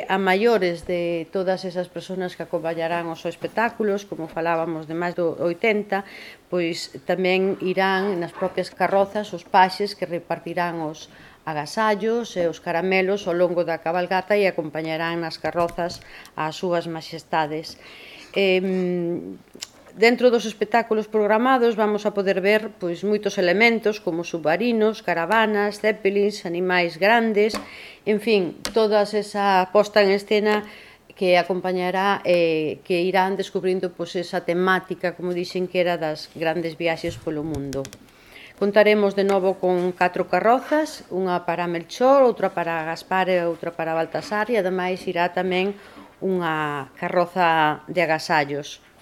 a maiores de todas esas persoas que acompañarán os espectáculos, como falábamos de máis do 80, pois tamén irán nas propias carrozas os paxes que repartirán os agasallos e os caramelos ao longo da cabalgata e acompañarán nas carrozas ás súas maxestades. Dentro dos espectáculos programados vamos a poder ver pois moitos elementos como submarinos, caravanas, zeppelins, animais grandes, en fin, toda esa posta en escena que acompañará e que irán descubrindo pois esa temática, como dixen, que era das grandes viaxes polo mundo. Contaremos de novo con 4 carrozas, unha para Melchor, outra para Gaspar e outra para Baltasar, e ademais irá tamén unha carroza de agasallos.